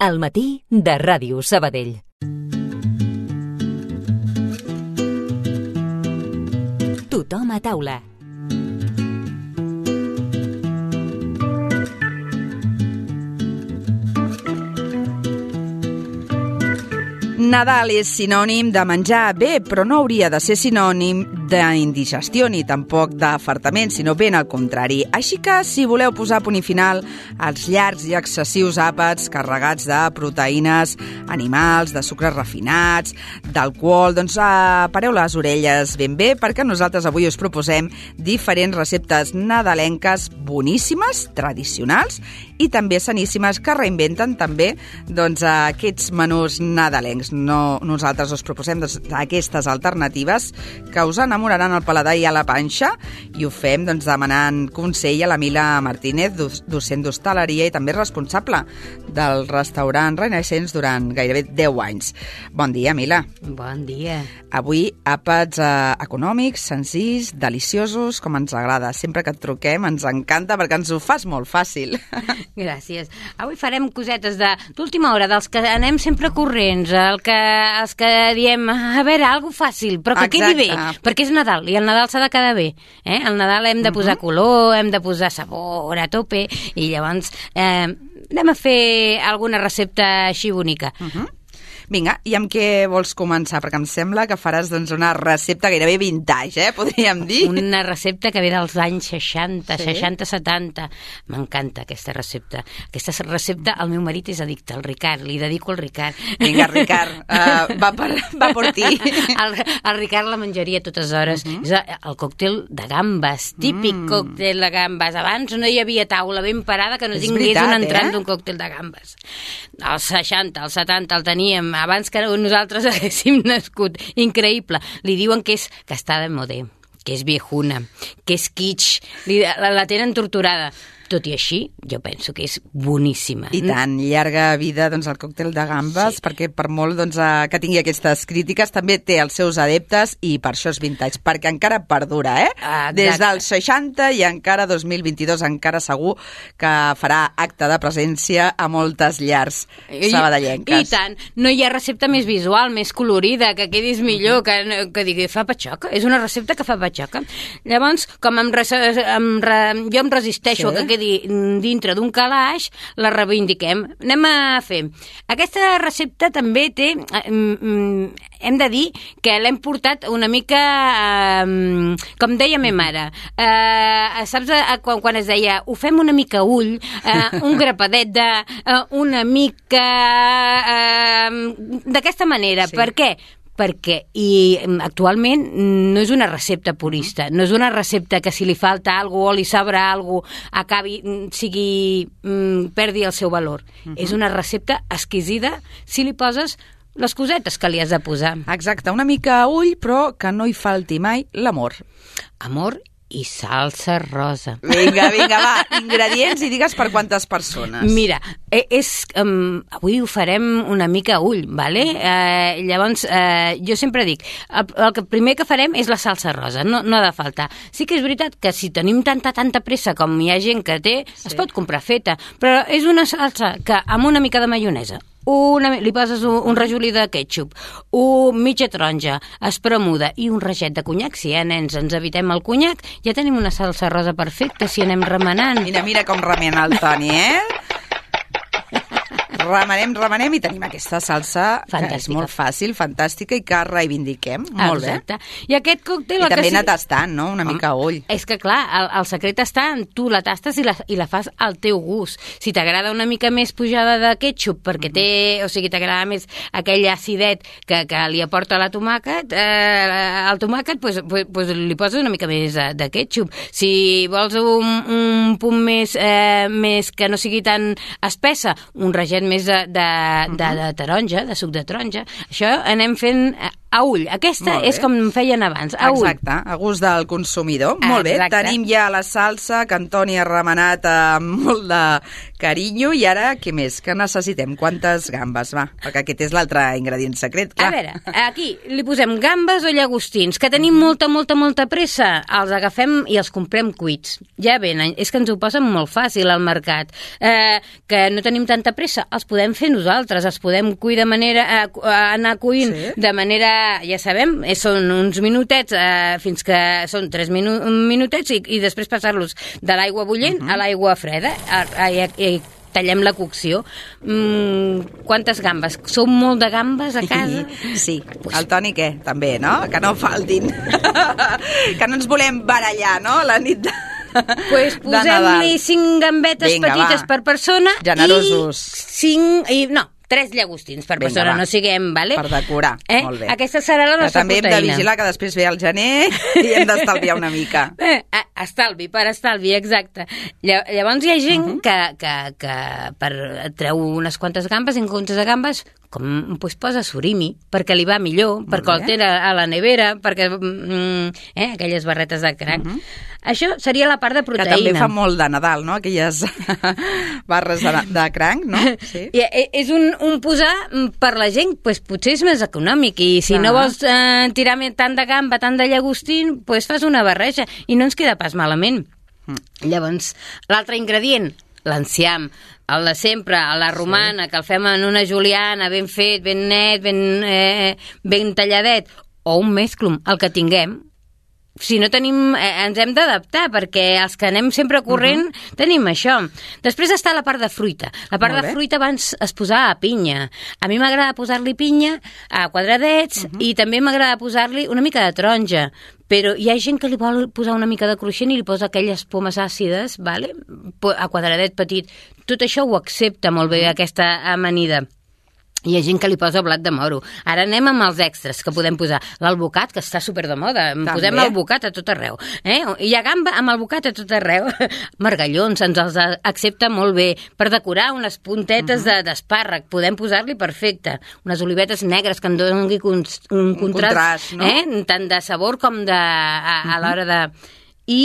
Al matí de Ràdio Sabadell. Tothom a taula. Nadal és sinònim de menjar bé, però no hauria de ser sinònim d'indigestió ni tampoc d'afartament, sinó ben al contrari. Així que, si voleu posar punt i final als llargs i excessius àpats carregats de proteïnes animals, de sucres refinats, d'alcohol, doncs pareu les orelles ben bé, perquè nosaltres avui us proposem diferents receptes nadalenques boníssimes, tradicionals i també saníssimes, que reinventen també aquests menús nadalencs. Nosaltres us proposem aquestes alternatives que us enamoraran el paladar i a la panxa, i ho fem demanant consell a la Mila Martínez, docent d'hostaleria i també responsable del restaurant Renaissance durant gairebé 10 anys. Bon dia, Mila. Bon dia. Avui àpats econòmics, senzills, deliciosos, com ens agrada. Sempre que et truquem ens encanta perquè ens ho fas molt fàcil. Gràcies. Avui farem cosetes d'última hora, dels que anem sempre corrents, els que diem, a veure, algo fàcil, però que quedi bé, perquè és Nadal, i el Nadal s'ha de quedar bé. El Nadal hem de posar color, hem de posar sabor a tope, i llavors anem a fer alguna recepta així bonica. Vinga, i amb què vols començar? Perquè em sembla que faràs una recepta gairebé vintage, podríem dir. Una recepta que ve dels anys 60, 60-70. M'encanta aquesta recepta. Aquesta recepta, el meu marit és addicte, el Ricard, li dedico al Ricard. Vinga, Ricard, va per ti. El Ricard la menjaria a totes hores. És el còctel de gambes, típic còctel de gambes. Abans no hi havia taula ben parada que no tingués un entrant d'un còctel de gambes. Als 60, als 70 el teníem, abans que nosaltres haguéssim nascut. Increïble. Li diuen que està de modé, que és viejuna, que és kitsch, la tenen torturada. Tot i així, jo penso que és boníssima. I tant, llarga vida al còctel de gambes, perquè per molt que tingui aquestes crítiques, també té els seus adeptes, i per això és vintage, perquè encara perdura, Des dels 60 i encara 2022, encara segur que farà acte de presència a moltes llars sabadellenques. I tant, no hi ha recepta més visual, més colorida, que quedis millor, que digui, fa patxoca, és una recepta que fa patxoca. Llavors, com jo em resisteixo a que quedi dintre d'un calaix, la reivindiquem. Anem a fer. Aquesta recepta també té, hem de dir que l'hem portat una mica, com deia ma mare, saps quan es deia, ho fem una mica ull, un grapadet una mica d'aquesta manera. Sí. Per què? Perquè actualment no és una recepta purista, no és una recepta que si li falta alguna cosa o li sobra alguna cosa perdi el seu valor. És una recepta exquisida si li poses les cosetes que li has de posar. Exacte, una mica a ull, però que no hi falti mai l'amor. Amor i salsa rosa. Vinga, va, ingredients i digues per quantes persones. Mira, avui ho farem una mica a ull, vale? Llavors, jo sempre dic, el primer que farem és la salsa rosa, no ha de faltar. Sí que és veritat que si tenim tanta pressa com hi ha gent que té, es pot comprar feta, però és una salsa que amb una mica de maionesa, li poses un rajolí de ketchup, mitja taronja espremuda i un raget de conyac. Si nens ens evitem el conyac, ja tenim una salsa rosa perfecta si anem remenant. Mira com remena el Toni, Remenem i tenim aquesta salsa fantàstica, que és molt fàcil, fantàstica i que reivindiquem. Molt bé. I aquest còctel... I també anar tastant, no? Una mica a ull. És que clar, el secret està en tu la tastes i la fas al teu gust. Si t'agrada una mica més pujada de ketchup, perquè t'agrada més aquell acidet que li aporta el tomàquet, doncs li poses una mica més de ketchup. Si vols un punt més que no sigui tan espessa, un raget més de taronja, de suc de taronja. Això anem fent a ull. Aquesta és com feien abans, a ull. Exacte, a gust del consumidor. Molt bé, tenim ja la salsa que en Toni ha remenat amb molt de carinyo. I ara, què més? Què necessitem? Quantes gambes? Va, perquè aquest és l'altre ingredient secret, clar. A veure, aquí li posem gambes o llagostins, que tenim molta pressa. Els agafem i els comprem cuits. Ja venen, és que ens ho posen molt fàcil al mercat. Que no tenim tanta pressa, els podem fer nosaltres, els podem cuir de manera... anar cuint de manera... Ja sabem, són uns minutets, fins que són 3 minutets i després passar-los de l'aigua bullent a l'aigua freda i tallem la cocció. Quantes gambes? Sou molt de gambes a casa? Sí. El Toni què? També, no? Que no faltin. Que no ens volem barallar, no? La nit de... Pues posem-li 5 gambetes petites per persona. Generosos. I 3 llagostins per persona, no siguem, vale? Per decorar, molt bé. Aquesta serà la nostra proteïna. També hem de vigilar que després ve el gener i hem d'estalviar una mica. Estalvi, exacte. Llavors hi ha gent que treu unes quantes gambes, en comptes de gambes, posa surimi, perquè li va millor, perquè el té a la nevera, perquè aquelles barretes de cranc. Això seria la part de proteïna. Que també fa molt de Nadal, no? Aquelles barres de cranc, no? Sí. És un posar per la gent, potser és més econòmic, i si no vols tirar tant de gamba, tant de llagostín, fas una barreja, i no ens queda pas malament. Llavors, l'altre ingredient, l'enciam, el de sempre, a la romana, que el fem en una juliana, ben fet, ben net, ben talladet, o un mesclum, el que tinguem. Si no tenim, ens hem d'adaptar, perquè els que anem sempre corrent tenim això. Després està la part de fruita. La part de fruita abans es posava a pinya. A mi m'agrada posar-li pinya a quadradets i també m'agrada posar-li una mica de taronja. Però hi ha gent que li vol posar una mica de cruixent i li posa aquelles pomes àcides, vale? A quadradet petit. Tot això ho accepta molt bé, aquesta amanida. Hi ha gent que li posa blat de moro. Ara anem amb els extras que podem posar. L'albocat, que està super de moda. Posem albocat a tot arreu. Hi ha gamba amb albocat a tot arreu. Margallons, ens els accepta molt bé. Per decorar unes puntetes d'espàrrec, podem posar-li perfecte. Unes olivetes negres que en doni un contrast, no? Tant de sabor com a l'hora de... I...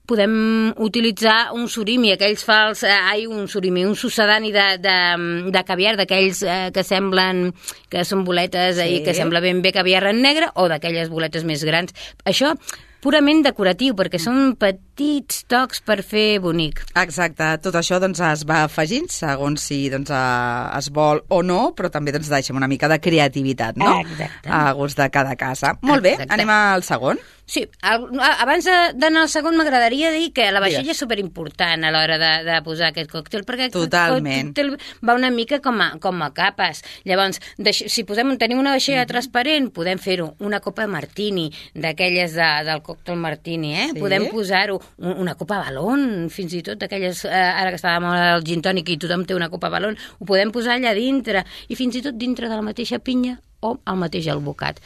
podem utilitzar un surimi, un sucedani de caviar, d'aquells que semblen que són boletes i que sembla ben bé caviar en negre, o d'aquelles boletes més grans. Això purament decoratiu, perquè són petits tocs per fer bonic. Exacte, tot això es va afegint segons si es vol o no, però també deixem una mica de creativitat, no? Exacte. A gust de cada casa. Molt bé, anem al segon. Sí, abans d'anar al segon m'agradaria dir que la vaixella és superimportant a l'hora de posar aquest còctel, perquè aquest còctel va una mica com a capes. Llavors, si tenim una vaixella transparent, podem fer-ho una copa martini, d'aquelles del còctel martini, podem posar-ho una copa balón, fins i tot d'aquelles, ara que estava molt el gin tònic i tothom té una copa balón, ho podem posar allà dintre, i fins i tot dintre de la mateixa pinya o el mateix albocat.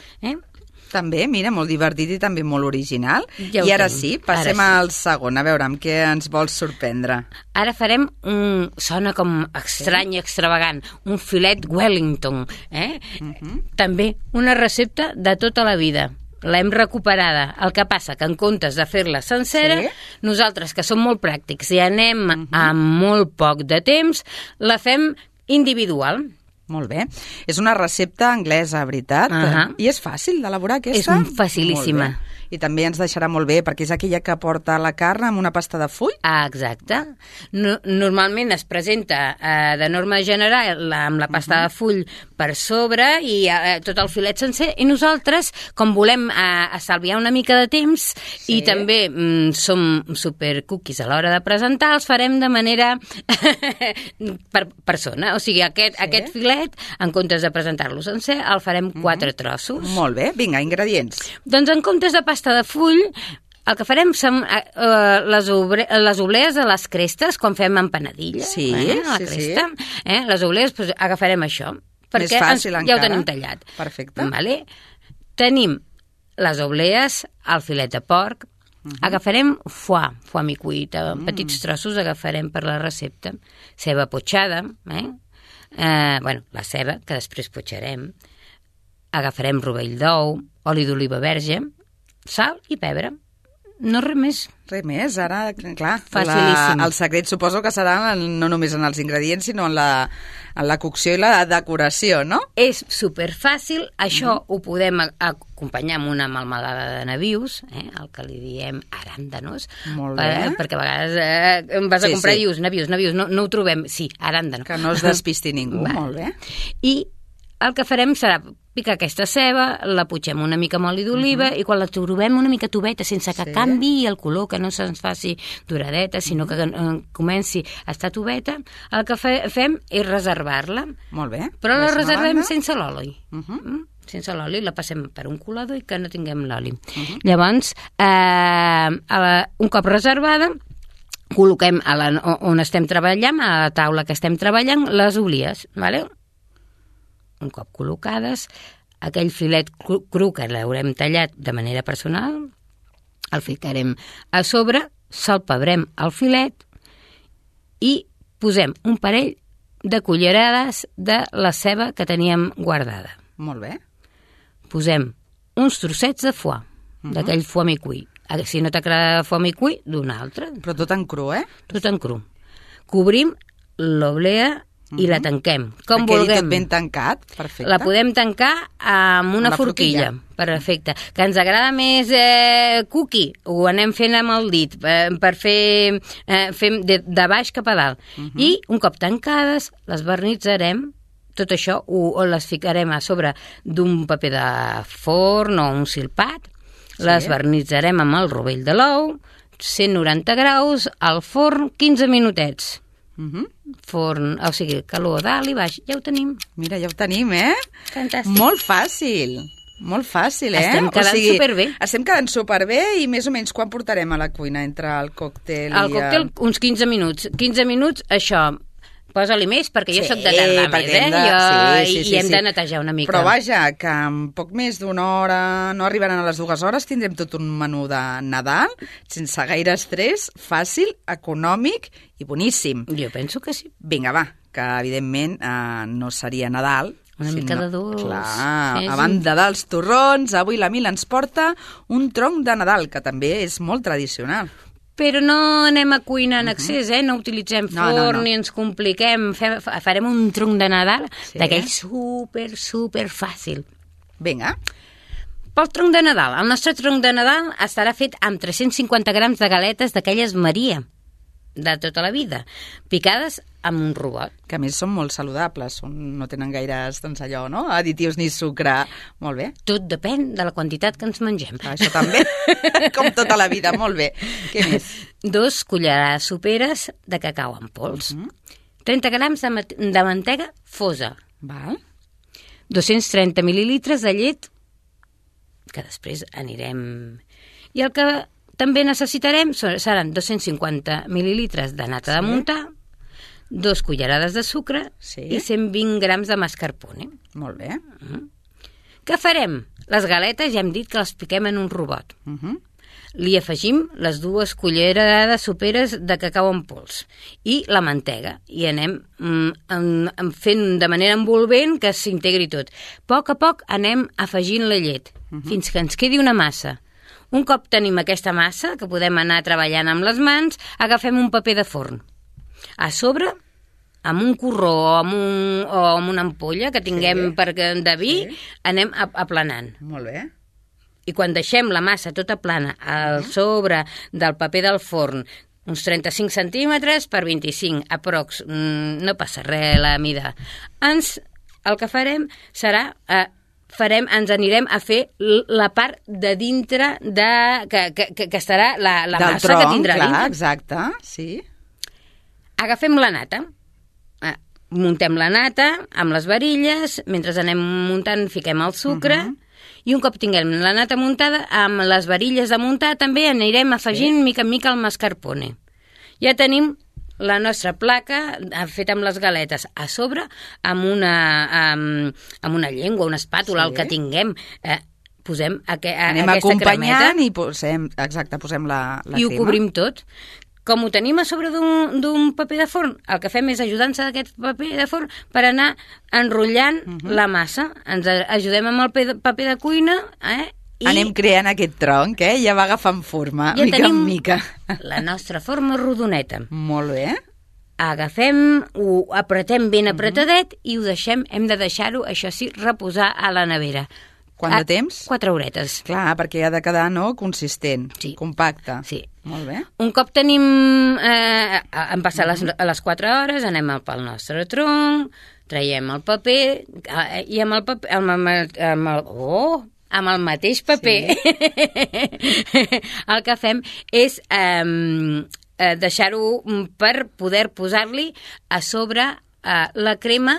També, mira, molt divertit i també molt original. I ara sí, passem al segon, a veure amb què ens vols sorprendre. Ara farem sona com estrany i extravagant, un filet Wellington. També una recepta de tota la vida. L'hem recuperada. El que passa que en comptes de fer-la sencera, nosaltres, que som molt pràctics i anem amb molt poc de temps, la fem individual. Molt bé. És una recepta anglesa, veritat? I és fàcil d'elaborar, aquesta? És facilíssima. I també ens deixarà molt bé, perquè és aquella que porta la carn amb una pasta de full? Exacte. Normalment es presenta de norma general amb la pasta de full per sobre i tot el filet sencer, i nosaltres, com volem estalviar una mica de temps i també som super cookies a l'hora de presentar, els farem de manera per persona. O sigui, aquest filet, en comptes de presentar-lo sencer, el farem 4 trossos. Molt bé. Vinga, ingredients. Doncs en comptes de pasta de full, el que farem són les oblees de les crestes, quan fem empanadilla. Sí, la cresta. Les oblees, agafarem això, perquè ja ho tenim tallat. Perfecte. Tenim les oblees, el filet de porc, agafarem foie micuit, petits trossos agafarem per la recepta, ceba potxada, la ceba, que després potxarem, agafarem rovell d'ou, oli d'oliva verge, sal i pebre. No res més. Res més, ara, clar, Facilíssim. el secret suposo que serà no només en els ingredients, sinó en la cocció i la decoració, no? És superfàcil, això ho podem acompanyar amb una melmelada de nabius, el que li diem aràndanos. Molt bé. Perquè a vegades vas a comprar i dius nabius, no ho trobem. Sí, aràndano. Que no es despisti ningú, molt bé. I el que farem serà picar aquesta ceba, la putxem una mica amb oli d'oliva i quan la trobem una mica toveta, sense que canvi el color, que no se'ns faci doradeta, sinó que comenci a estar toveta, el que fem és reservar-la. Molt bé. Però la reservem sense l'oli. Sense l'oli, la passem per un colador i que no tinguem l'oli. Llavors, un cop reservada, col·loquem on estem treballant, a la taula que estem treballant, les olies, d'acord? Un cop col·locades, aquell filet cru que l'haurem tallat de manera personal, el ficarem a sobre, salpebrem el filet i posem un parell de cullerades de la ceba que teníem guardada. Molt bé. Posem uns trossets de foie, d'aquell foie mi-cuit. Si no t'agrada foie mi-cuit, d'un altre. Però tot en cru, Tot en cru. Cobrim l'oblea i la tanquem, com vulguem. vulguem. Tot ben tancat, perfecte. La podem tancar amb una forquilla. Perfecte. Que ens agrada més cookie, ho anem fent amb el dit, per fer de baix cap a dalt. I un cop tancades, les barnitzarem, tot això les ficarem a sobre d'un paper de forn o un silpat, les barnitzarem amb el rovell de l'ou, 190 graus, al forn 15 minutets. Forn, o sigui, calor dalt i baix, ja ho tenim. Mira, ja ho tenim, Fantàstic. Molt fàcil. Molt fàcil, Estem quedant superbé. Estem quedant superbé i més o menys quan portarem a la cuina entre el còctel El còctel, uns 15 minuts. 15 minuts, això, posa-li més, perquè jo soc de tardar més, i hem de netejar una mica. Però vaja, que en poc més d'una hora, no arribaran a les 2 hores, tindrem tot un menú de Nadal, sense gaire estrès, fàcil, econòmic i boníssim. Jo penso que sí. Vinga, va, que evidentment no seria Nadal. Una mica de dolç. Clar, a banda dels torrons, avui la Mila ens porta un tronc de Nadal, que també és molt tradicional. Però no anem a cuinar en excés, no utilitzem forn ni ens compliquem. Farem un tronc de Nadal d'aquell super fàcil. Vinga. Pel tronc de Nadal. El nostre tronc de Nadal estarà fet amb 350 grams de galetes d'aquelles Maria, de tota la vida, picades amb un robot. Que a més són molt saludables, no tenen gaires, doncs allò, no? Additius ni sucre. Molt bé. Tot depèn de la quantitat que ens mengem. Això també, com tota la vida, molt bé. Què més? 2 cullerades soperes de cacau en pols. 30 grams de mantega fosa. Val. 230 mil·lilitres de llet, que després anirem... I el que també necessitarem seran 250 mil·lilitres de nata de muntar, 2 cullerades de sucre i 120 grams de mascarpone. Molt bé. Què farem? Les galetes ja hem dit que les piquem en un robot. Li afegim les 2 cullerades soperes de cacau en pols i la mantega. I anem fent de manera envolvent que s'integri tot. A poc anem afegint la llet fins que ens quedi una massa. Un cop tenim aquesta massa, que podem anar treballant amb les mans, agafem un paper de forn. A sobre, amb un corró o amb una ampolla que tinguem de vi, anem aplanant. Molt bé. I quan deixem la massa tota plana al sobre del paper del forn, uns 35 centímetres per 25, aprox, no passa res la mida. El que farem serà... ens anirem a fer la part de dintre que estarà la massa que tindrà dintre. Clar, exacte, sí. Agafem la nata, muntem la nata amb les varilles, mentre anem muntant fiquem el sucre, i un cop tinguem la nata muntada, amb les varilles de muntar també anirem afegint mica en mica el mascarpone. Ja tenim la nostra placa feta amb les galetes a sobre amb una llengua, una espàtula, el que tinguem. Posem aquesta cremeta. Anem acompanyant i posem la crema. I ho cobrim tot. com ho tenim a sobre d'un paper de forn, el que fem és ajudar-nos d'aquest paper de forn per anar enrotllant la massa. Ens ajudem amb el paper de cuina, i anem creant aquest tronc, ja va agafant forma, ja mica en mica. La nostra forma rodoneta. Molt bé. Agafem, ho apretem ben apretadet i ho deixem, hem de deixar-ho, això sí, reposar a la nevera. Quant de temps? 4 horetes. Clar, perquè ha de quedar, no?, consistent, sí. compacte. Sí. Molt bé. Un cop tenim... han passat les 4 hores, anem pel nostre tronc, traiem el paper i amb el paper... amb el mateix paper el que fem és deixar-ho per poder posar-li a sobre la crema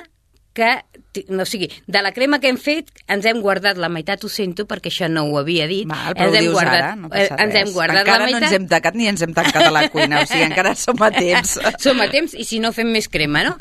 o sigui, de la crema que hem fet ens hem guardat la meitat, ho sento perquè això no ho havia dit. Val, però ho dius ara, no passa res. Ens hem guardat encara la meitat. No ens hem tacat ni ens hem tancat a la cuina, o sigui, encara som a temps. Som a temps i si no fem més crema, no?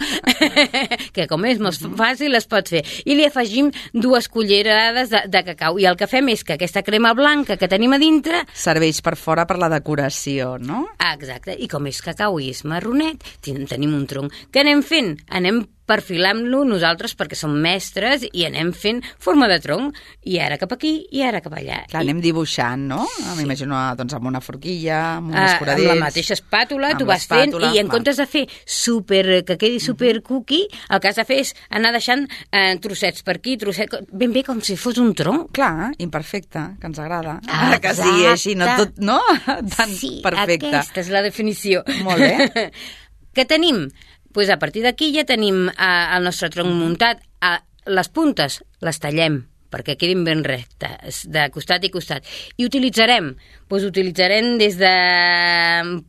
Que com és molt fàcil es pot fer. I li afegim 2 cullerades de cacau i el que fem és que aquesta crema blanca que tenim a dintre serveix per fora per la decoració, no? Exacte, i com és cacau i és marronet, tenim un tronc. Què anem fent? Anem perfilant-lo nosaltres perquè som mestres i anem fent forma de tronc i ara cap aquí i ara cap allà. Clar, anem dibuixant, no? Sí. M'imagino doncs, amb una forquilla, amb un escuradell. Amb la mateixa espàtula, tu vas fent i en comptes de fer que quedi super cookie, el que has de fer és anar deixant trossets per aquí, trossets... Ben bé com si fos un tronc. Clar, imperfecte, que ens agrada. Ara que sigui així, no tot, no? Tan perfecte. Sí, aquesta és la definició. Molt bé. Què tenim? Pues a partir d'aquí ja tenim el nostre tronc muntat. Les puntes les tallem perquè quedin ben rectes, de costat i costat. I utilitzarem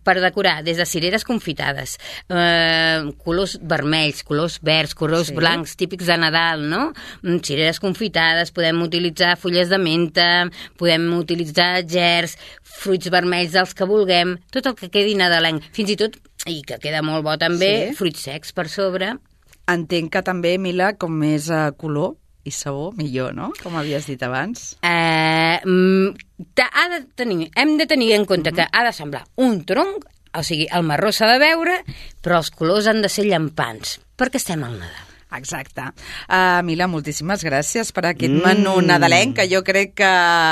per decorar, des de cireres confitades, colors vermells, colors verds, colors blancs, típics de Nadal, no? Cireres confitades, podem utilitzar fulles de menta, podem utilitzar gerds, fruits vermells dels que vulguem, tot el que quedi nadalenc. Fins i tot, i que queda molt bo també, fruits secs per sobre. Entenc que també, Mila, com més color i sabor, millor, no? Com havies dit abans. Hem de tenir en compte que ha de semblar un tronc, o sigui, el marró s'ha de veure, però els colors han de ser llampants, perquè estem al Nadal. Exacte. Mila, moltíssimes gràcies per aquest menú nadalenc, que jo crec que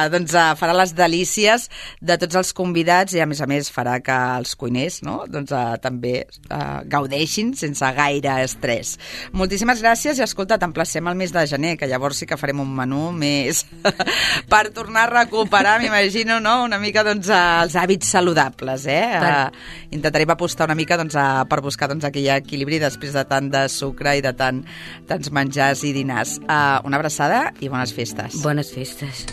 doncs, farà les delícies de tots els convidats i, a més, farà que els cuiners doncs, també gaudeixin sense gaire estrès. Moltíssimes gràcies i, escolta, t'emplacem al mes de gener, que llavors sí que farem un menú més per tornar a recuperar, m'imagino, no? Una mica doncs, els hàbits saludables. Intentarem apostar una mica doncs, per buscar doncs, aquell equilibri després de tant de sucre i de tants menjars i dinars. Una abraçada i bones festes. Bones festes.